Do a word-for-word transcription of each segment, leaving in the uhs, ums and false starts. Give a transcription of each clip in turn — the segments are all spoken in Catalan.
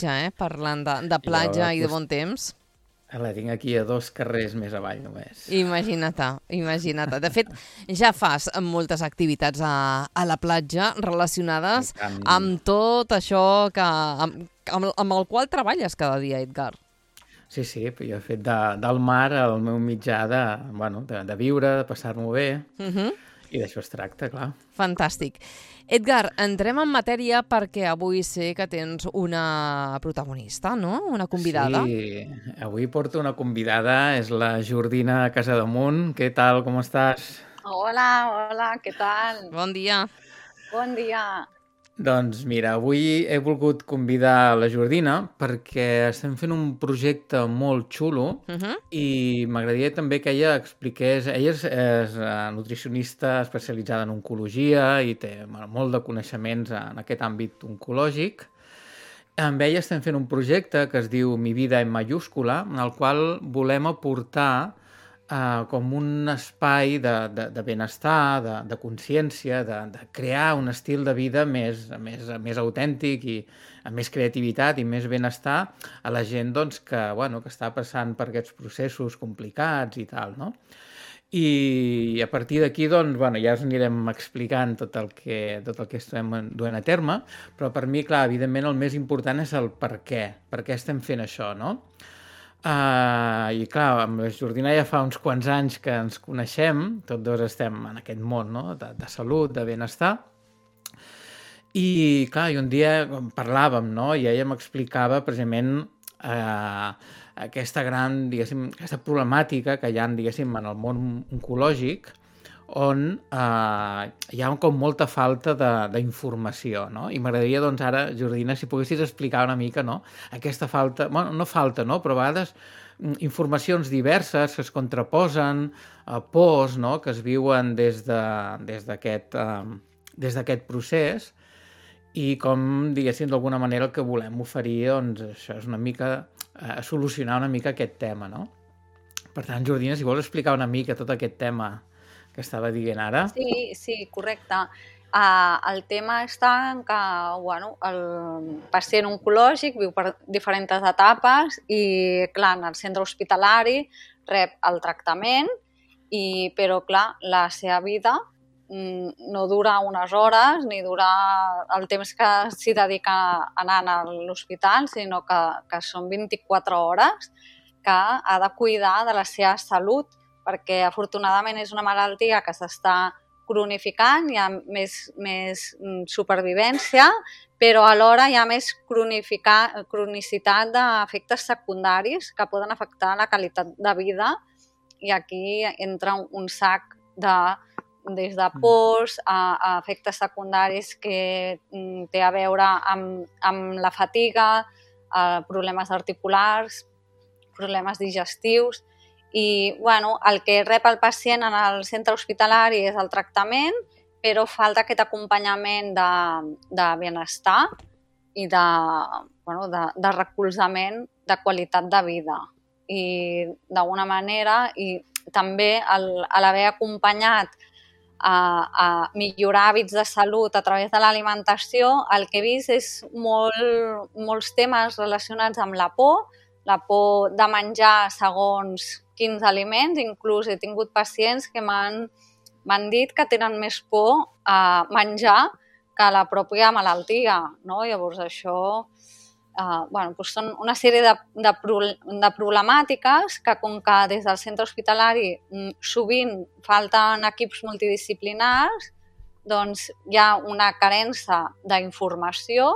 platja, eh? Parlant de, de platja i de bon temps. La tinc aquí a dos carrers més avall només. Imagina't, imagina't. De fet, ja fas moltes activitats a, a la platja relacionades amb tot això que, amb, amb, amb el qual treballes cada dia, Edgar. Sí, sí, jo he fet de, del mar el meu mitjà de, bueno, de, de viure, de passar-m'ho bé, uh -huh. I d'això es tracta, clar. Fantàstic. Edgar, entrem en matèria perquè avui sé que tens una protagonista, no? Una convidada. Sí, avui porto una convidada, és la Jordina Casademunt. Què tal, com estàs? Hola, hola, què tal? Bon dia. Bon dia. Doncs mira, avui he volgut convidar la Jordina perquè estem fent un projecte molt xulo uh -huh. i m'agradaria també que ella expliqués... Ella és, és nutricionista especialitzada en oncologia i té bueno, molt de coneixements en aquest àmbit oncològic. Amb ella estem fent un projecte que es diu Mi vida en mayúscula, en el qual volem aportar Uh, com un espai de, de, de benestar, de, de consciència, de, de crear un estil de vida més, més, més autèntic i amb més creativitat i més benestar a la gent doncs, que, bueno, que està passant per aquests processos complicats i tal, no? I, i a partir d'aquí doncs, bueno, ja us anirem explicant tot el, que, tot el que estem duent a terme, però per mi, clar, evidentment el més important és el per què, per què estem fent això, no? Uh, I clar, amb la Jordina ja fa uns quants anys que ens coneixem, tots dos estem en aquest món, no? de, de salut, de benestar, i clar, i un dia parlàvem, no? I ella m'explicava precisament uh, aquesta gran, diguéssim, aquesta problemàtica que hi ha, diguéssim, en el món oncològic, on eh, hi ha com molta falta d'informació, no? I m'agradaria, doncs, ara, Jordina, si poguessis explicar una mica, no?, aquesta falta, bueno, no falta, no?, però a vegades informacions diverses que es contraposen, eh, pors, no?, que es viuen des d'aquest de, des d'aquest eh, procés i com, diguéssim, d'alguna manera el que volem oferir, doncs, això és una mica, eh, solucionar una mica aquest tema, no? Per tant, Jordina, si vols explicar una mica tot aquest tema que estava dient ara. Sí, sí, correcte. Uh, el tema està en que, bueno, el pacient oncològic viu per diferents etapes i, clar, en el centre hospitalari rep el tractament, i, però, clar, la seva vida no dura unes hores ni dura el temps que s'hi dedica anant a l'hospital, sinó que, que són vint-i-quatre hores que ha de cuidar de la seva salut, perquè afortunadament és una malaltia que s'està cronificant, hi ha més, més supervivència, però alhora hi ha més cronicitat d'efectes secundaris que poden afectar la qualitat de vida, i aquí entra un sac de, des de pors a, a efectes secundaris que té a veure amb, amb la fatiga, problemes articulars, problemes digestius. I, bueno, el que rep el pacient en el centre hospitalari és el tractament, però falta aquest acompanyament de, de benestar i de, bueno, de, de recolzament de qualitat de vida. I d'alguna manera, i també l'haver acompanyat a, a millorar hàbits de salut a través de l'alimentació, el que he vist és molt, molts temes relacionats amb la por, la por de menjar segons quins aliments. Inclús he tingut pacients que m'han dit que tenen més por a menjar que la pròpia malaltia, no? Llavors això eh, bueno, doncs són una sèrie de, de, de problemàtiques que, com que des del centre hospitalari sovint falten equips multidisciplinars, doncs hi ha una carència d'informació,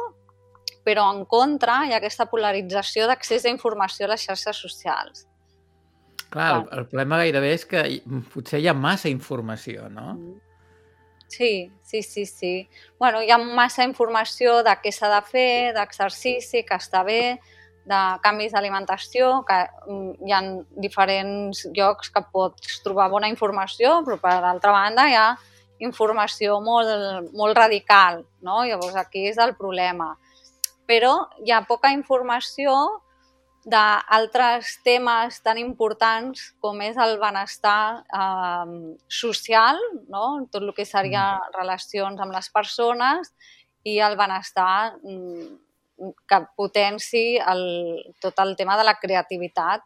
però en contra hi ha aquesta polarització d'accés a informació a les xarxes socials. Clar, el, el problema gairebé és que potser hi ha massa informació, no? Sí, sí, sí, sí. Bueno, hi ha massa informació de què s'ha de fer, d'exercici, que està bé, de canvis d'alimentació, que hi ha diferents llocs que pots trobar bona informació, però per l'altra banda hi ha informació molt, molt radical, no? Llavors aquí és el problema. Però hi ha poca informació d'altres temes tan importants com és el benestar eh, social, no? Tot el que seria relacions amb les persones, i el benestar que potenci el, tot el tema de la creativitat.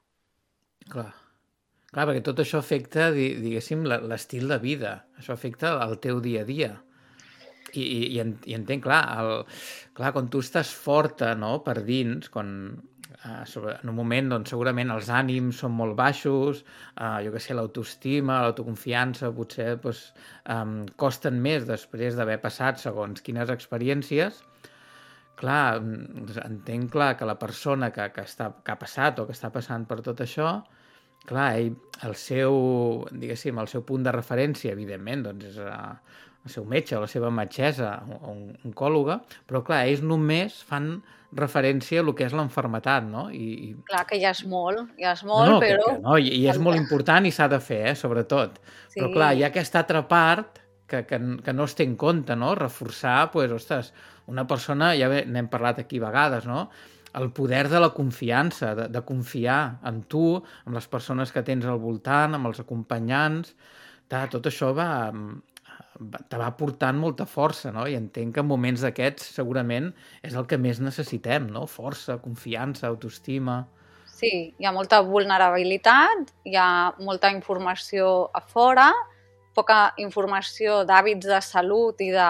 Clar. Clar, perquè tot això afecta, diguéssim, l'estil de vida. Això afecta el teu dia a dia. I, i, i, en, i entenc, clar, el, clar, quan tu estàs forta, no?, per dins, quan eh, sobre, en un moment doncs, segurament els ànims són molt baixos, eh, jo què sé, l'autoestima, l'autoconfiança potser doncs, eh, costen més després d'haver passat segons quines experiències. Clar, entenc clar que la persona que, que, està, que ha passat o que està passant per tot això, clar, ell, el seu, diguéssim, el seu punt de referència, evidentment, doncs és eh, el seu metge o la seva metgessa o un oncòloga, però clar, ells només fan referència a el que és l'enfermetat, no? I, i... Clar, que ja és molt, ja és molt, no, no, però... Que, que no, i, i és molt important i s'ha de fer, eh, sobretot. Sí. Però clar, hi ha aquesta altra part que, que, que no es té en compte, no? Reforçar, doncs, ostres, una persona, ja n'hem parlat aquí a vegades, no?, el poder de la confiança, de, de confiar en tu, amb les persones que tens al voltant, amb els acompanyants, tot això va, te va portant molta força, no? I entenc que en moments d'aquests segurament és el que més necessitem, no? Força, confiança, autoestima... Sí, hi ha molta vulnerabilitat, hi ha molta informació a fora, poca informació d'hàbits de salut i de...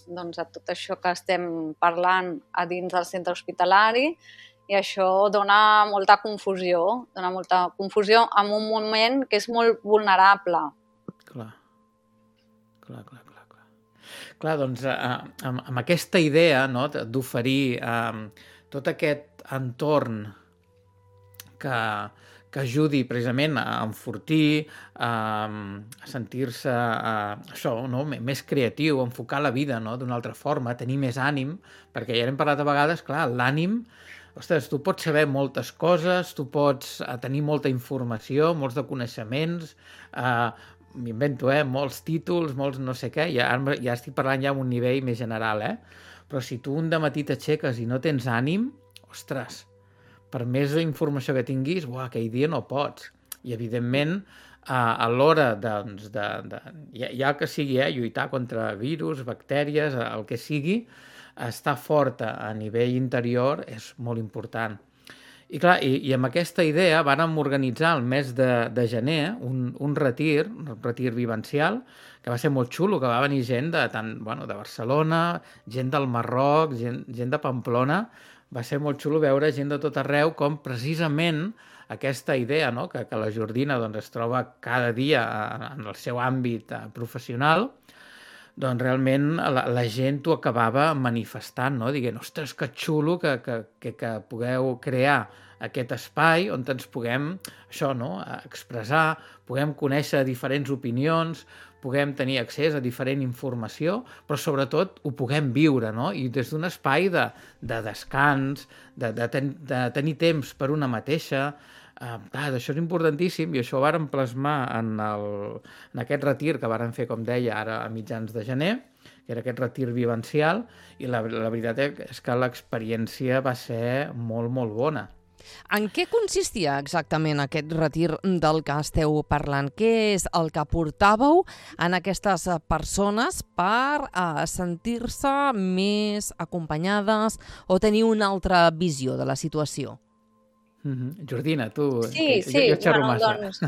doncs, a tot això que estem parlant a dins del centre hospitalari, i això dona molta confusió, dona molta confusió en un moment que és molt vulnerable. Clar, clar, clar, clar. Clar, clar doncs, eh, amb, amb aquesta idea, no?, d'oferir eh, tot aquest entorn que... que ajudi precisament a enfortir, a, a sentir-se a, això, no? Més creatiu, a enfocar la vida, no?, d'una altra forma, a tenir més ànim, perquè ja hem parlat a vegades, clar, l'ànim, ostres, tu pots saber moltes coses, tu pots tenir molta informació, molts de coneixements, eh, m'invento, eh, molts títols, molts no sé què, ja, ja estic parlant ja a un nivell més general, eh? Però si tu un dematí t'aixeques i no tens ànim, ostres, per més informació que tinguis, buah, aquell dia no pots. I, evidentment, a, a l'hora doncs, de, de, ja, ja que sigui, eh, lluitar contra virus, bactèries, el que sigui, estar forta a nivell interior és molt important. I, clar, i, i amb aquesta idea vàrem organitzar el mes de, de gener un, un retir, un retir vivencial, que va ser molt xulo, que va venir gent de, tant, bueno, de Barcelona, gent del Marroc, gent, gent de Pamplona. Va ser molt xulo veure gent de tot arreu com precisament aquesta idea, no?, que, que la Jordina doncs, es troba cada dia en el seu àmbit professional, doncs realment la, la gent ho acabava manifestant, no?, dient, ostres, que xulo que, que, que, que pugueu crear aquest espai on ens puguem això, no?, expressar, puguem conèixer diferents opinions, puguem tenir accés a diferent informació, però sobretot ho puguem viure, no?, i des d'un espai de, de descans, de, de, ten, de tenir temps per una mateixa. Eh, això és importantíssim i això ho vàrem plasmar en, el, en aquest retir que vàrem fer, com deia, ara a mitjans de gener, que era aquest retir vivencial, i la, la veritat és que l'experiència va ser molt, molt bona. En què consistia exactament aquest retir del que esteu parlant? Què és el que portàveu en aquestes persones per uh, sentir-se més acompanyades o tenir una altra visió de la situació? Mm-hmm. Jordina, tu... Sí, que, sí, jo, jo bueno, doncs...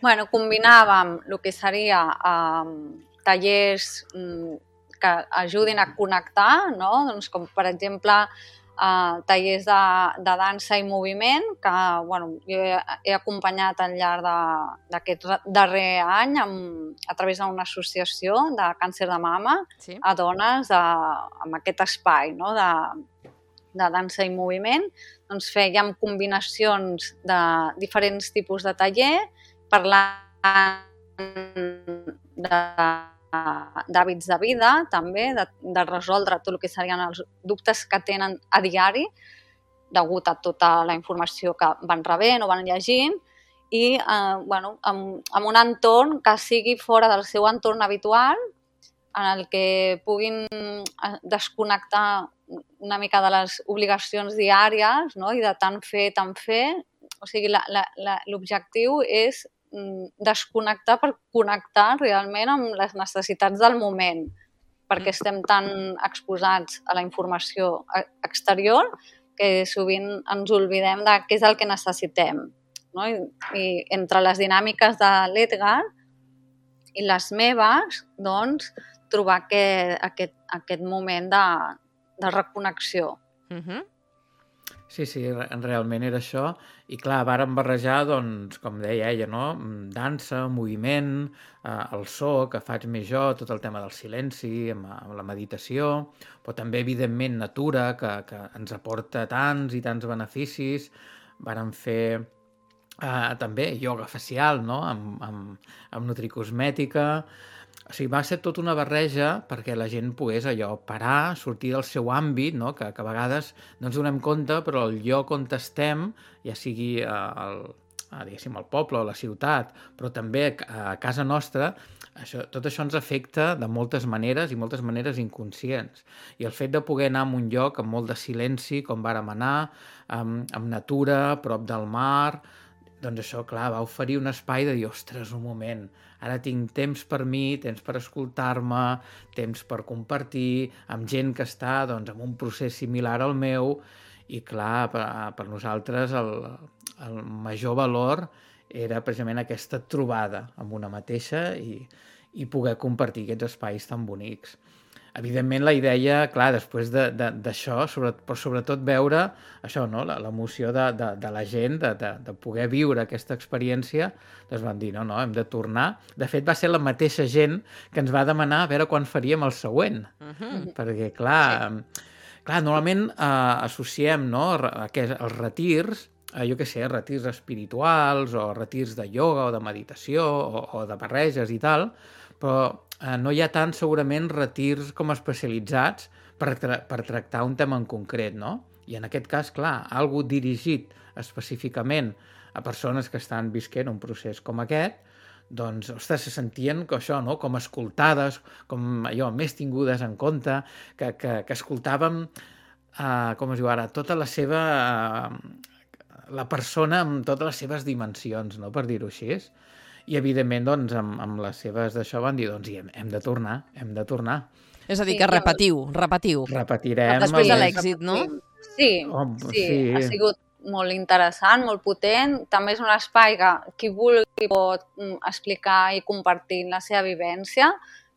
bueno, combinàvem el que seria um, tallers um, que ajudin a connectar, no? Doncs com, per exemple, Uh, tallers de, de dansa i moviment que bueno, jo he, he acompanyat al llarg d'aquest darrer any amb, a través d'una associació de càncer de mama, sí, a dones de, amb aquest espai, no?, de, de dansa i moviment. Doncs fèiem combinacions de diferents tipus de taller, parlant de d'hàbits de vida, també, de, de resoldre tot el que serien els dubtes que tenen a diari, degut a tota la informació que van rebent o van llegint, i eh, bueno, amb, amb un entorn que sigui fora del seu entorn habitual, en el que puguin desconnectar una mica de les obligacions diàries, no?, i de tant fer, tant fer. O sigui, l'objectiu és desconnectar per connectar realment amb les necessitats del moment, perquè estem tan exposats a la informació exterior que sovint ens oblidem de què és el que necessitem. No? I, I entre les dinàmiques de l'Edgar i les meves, doncs, trobar aquest, aquest, aquest moment de, de reconnexió. Uh-huh. Sí, sí, realment era això. I clar, vàrem barrejar, doncs, com deia ella, no? Dansa, moviment, eh, el so, que faig més jo, tot el tema del silenci, amb, amb la meditació, però també, evidentment, natura, que, que ens aporta tants i tants beneficis. Vàrem fer eh, també ioga facial, no? Amb, amb, amb nutricosmètica. O sigui, va ser tota una barreja perquè la gent pogués allò parar, sortir del seu àmbit, no? que, que a vegades no ens donem compte, però el lloc on estem, ja sigui al, diguéssim, al poble o a la ciutat, però també a casa nostra, això, tot això ens afecta de moltes maneres i moltes maneres inconscients. I el fet de poder anar a un lloc amb molt de silenci, com vàrem anar, amb, amb natura, a prop del mar, doncs això, clar, va oferir un espai de dir, ostres, un moment, ara tinc temps per mi, temps per escoltar-me, temps per compartir amb gent que està doncs, en un procés similar al meu, i clar, per, per nosaltres el, el major valor era precisament aquesta trobada amb una mateixa i, i poder compartir aquests espais tan bonics. Evidentment, la idea, clar, després d'això, sobre, però sobretot veure això, no? L'emoció de, de, de la gent, de, de, de poder viure aquesta experiència, doncs vam dir, no, no, hem de tornar. De fet, va ser la mateixa gent que ens va demanar a veure quan faríem el següent. Uh-huh. Perquè, clar, sí. clar normalment eh, associem no, aquests, els retirs, eh, jo què sé, retirs espirituals o retirs de ioga o de meditació o, o de barreges i tal, però eh, no hi ha tant segurament retirs com especialitzats per, tra per tractar un tema en concret, no? I en aquest cas, clar, algo dirigit específicament a persones que estan visquent un procés com aquest, doncs, ostres, se sentien que això, no? Com escoltades, com allò, més tingudes en compte, que, que, que escoltàvem, eh, com es diu ara, tota la seva... Eh, la persona amb totes les seves dimensions, no? Per dir-ho així. I, evidentment, doncs, amb, amb les seves d'això van dir, doncs, hem, hem de tornar, hem de tornar. És a dir, que repetiu, repetiu. Repetirem. Després de l'èxit, no? Sí, oh, sí, sí, ha sigut molt interessant, molt potent. També és un espai que qui vulgui pot explicar i compartir la seva vivència,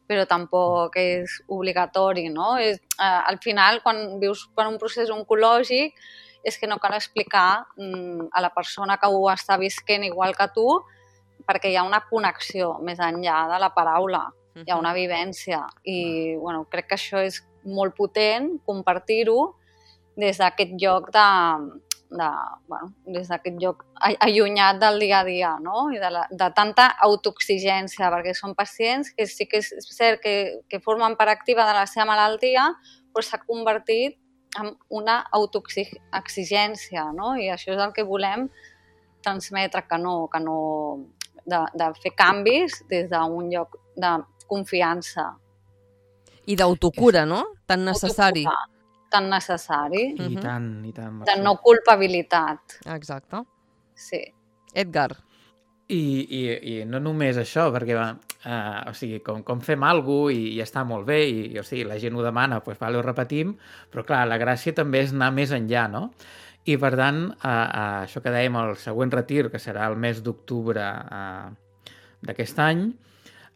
però tampoc és obligatori, no? És, eh, al final, quan vius per un procés oncològic, és que no cal explicar mm, a la persona que ho està visquent igual que tu, perquè hi ha una connexió més enllà de la paraula, uh-huh. Hi ha una vivència i bueno, crec que això és molt potent compartir-ho des d'aquest lloc de, de, bueno, des d'aquest lloc allunyat del dia a dia, no? I de, la, de tanta autoexigència, perquè són pacients que sí que és cert que, que formen part activa de la seva malaltia, però s'ha convertit en una autoexigència, no? I això és el que volem transmetre, que no, que no de, de fer canvis des d'un lloc de confiança. I d'autocura, no? Tan necessari. Autocura, tan necessari. I uh-huh. tant, i tant. De no culpabilitat. Exacte. Sí. Edgar. I, i, i no només això, perquè va, uh, o sigui, com, com fem alguna cosa i, i està molt bé, i, i o sigui, la gent ho demana, doncs vale, ho repetim, però clar, la gràcia també és anar més enllà, no? I per tant, uh, uh, això que dèiem, el següent retir, que serà el mes d'octubre uh, d'aquest any,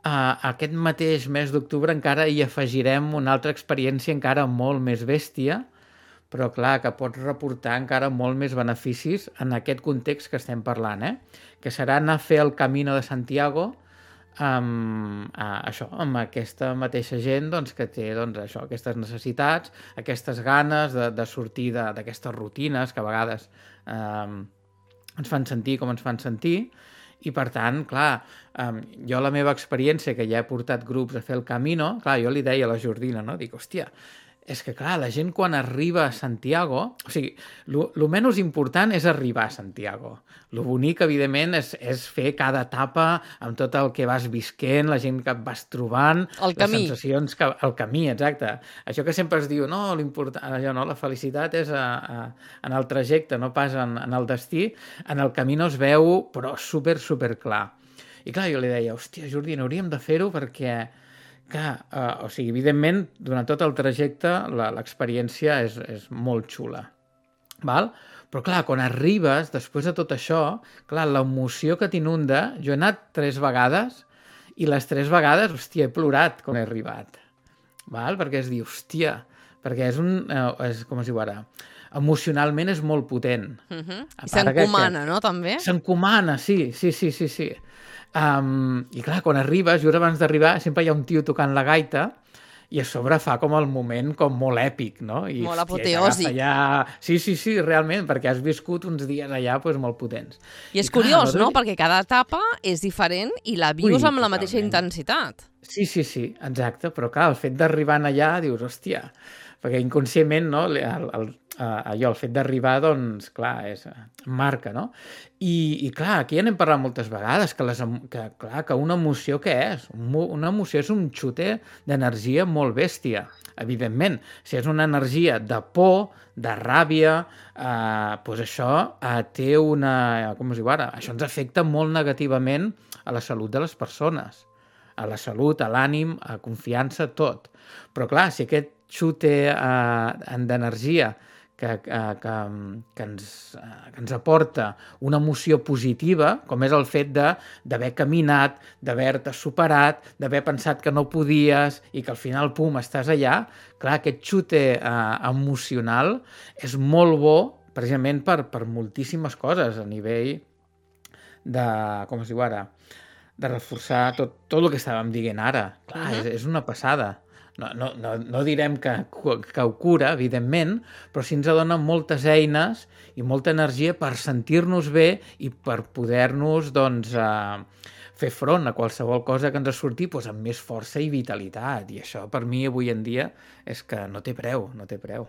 uh, aquest mateix mes d'octubre encara hi afegirem una altra experiència encara molt més bèstia, però clar, que pot reportar encara molt més beneficis en aquest context que estem parlant, eh? Que serà anar a fer el Camino de Santiago amb, uh, això, amb aquesta mateixa gent doncs, que té doncs, això, aquestes necessitats, aquestes ganes de, de sortir d'aquestes rutines que a vegades eh, ens fan sentir com ens fan sentir. I, per tant, clar, eh, jo la meva experiència, que ja he portat grups a fer el Camino, clar, jo li deia a la Jordina, no? Dic, hòstia, és que, clar, la gent quan arriba a Santiago... O sigui, el menys important és arribar a Santiago. El bonic, evidentment, és, és fer cada etapa amb tot el que vas visquent, la gent que et vas trobant... El camí. Les sensacions que... El camí, exacte. Això que sempre es diu, no, l'important... Allò, no, la felicitat és a, a, en el trajecte, no pas en, en el destí. En el camí no es veu, però super, super clar. I clar, jo li deia, hòstia, Jordi, hauríem de fer-ho perquè... clar, uh, o sigui, evidentment, durant tot el trajecte l'experiència és, és molt xula. Val? Però clar, quan arribes, després de tot això, clar, l'emoció que t'inunda, jo he anat tres vegades i les tres vegades, hòstia, he plorat quan he arribat. Val? Perquè es diu, hòstia, perquè és un... Eh, és, com es diu ara? Emocionalment és molt potent. Uh-huh. I s'encomana, no, també? S'encomana, sí, sí, sí, sí, sí. Um, I clar, quan arribes, just abans d'arribar, sempre hi ha un tio tocant la gaita i a sobre fa com el moment com molt èpic, no? I, molt hòstia, apoteòsic. Allà... Sí, sí, sí, realment, perquè has viscut uns dies allà pues, molt potents. I és I, curiós, clar, no? Perquè cada etapa és diferent i la vius Ui, amb la mateixa totalment. intensitat. Sí, sí, sí, exacte, però clar, el fet d'arribar allà dius, hòstia, perquè inconscientment, no, el, el, allò, el fet d'arribar, doncs, clar, és, marca, no? I, i clar, aquí ja n'hem parlat moltes vegades, que, les, que, clar, que una emoció què és? Una emoció és un xute d'energia molt bèstia, evidentment. Si és una energia de por, de ràbia, eh, doncs això eh, té una... Com es diu ara? Això ens afecta molt negativament a la salut de les persones, a la salut, a l'ànim, a confiança, tot. Però clar, si aquest xute eh, d'energia que, que, que, que, ens, que ens aporta una emoció positiva, com és el fet d'haver caminat, d'haver-te superat, d'haver pensat que no podies i que al final, pum, estàs allà, clar, aquest xute eh, emocional és molt bo precisament per, per moltíssimes coses a nivell de, com es diu ara, de reforçar tot, tot el que estàvem dient ara. Clar, uh-huh. és, és una passada. No, no, no, no direm que, que ho cura, evidentment, però sí ens dona moltes eines i molta energia per sentir-nos bé i per poder-nos doncs, eh, fer front a qualsevol cosa que ens surti doncs, amb més força i vitalitat. I això, per mi, avui en dia, és que no té preu, no té preu.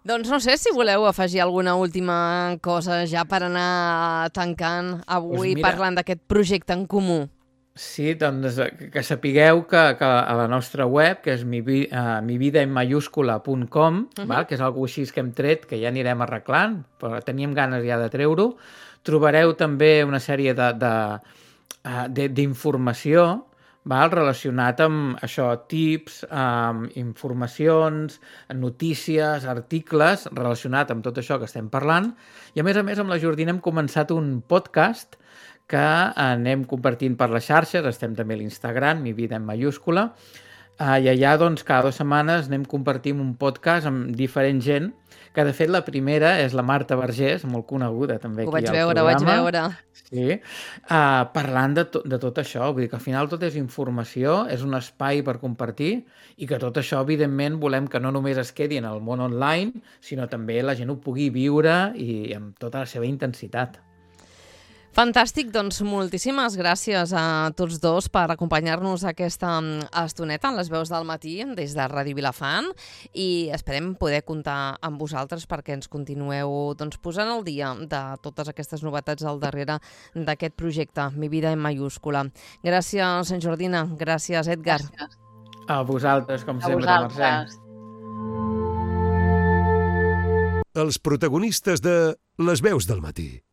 Doncs no sé si voleu afegir alguna última cosa ja per anar tancant avui pues mira, parlant d'aquest projecte en comú. Sí, doncs que sapigueu que, que a la nostra web, que és mi, uh, mividaenmayúscula punt com, uh-huh. val? Que és alguna així que hem tret, que ja anirem arreglant, però teníem ganes ja de treure-ho, trobareu també una sèrie de, de, uh, de, d'informació val? Relacionat amb això, tips, um, informacions, notícies, articles, relacionat amb tot això que estem parlant. I a més a més amb la Jordina hem començat un podcast que anem compartint per les xarxes, estem també a l'Instagram, Mi Vida en Mayúscula, uh, i allà doncs, cada dues setmanes anem compartint un podcast amb diferent gent, que de fet la primera és la Marta Vergés, molt coneguda també ho aquí al veure, programa. Ho vaig veure, ho vaig veure. Sí, uh, parlant de, to de tot això, vull dir que al final tot és informació, és un espai per compartir i que tot això, evidentment, volem que no només es quedi en el món online, sinó també la gent ho pugui viure i amb tota la seva intensitat. Fantàstic, doncs moltíssimes gràcies a tots dos per acompanyar-nos aquesta estoneta en les veus del matí des de Ràdio Vilafant i esperem poder comptar amb vosaltres perquè ens continueu doncs, posant al dia de totes aquestes novetats al darrere d'aquest projecte, Mi Vida en Mayúscula. Gràcies, Jordina. Gràcies, Edgar. Gràcies. A vosaltres, com a sempre, vosaltres. Mercè. Els protagonistes de Les veus del matí.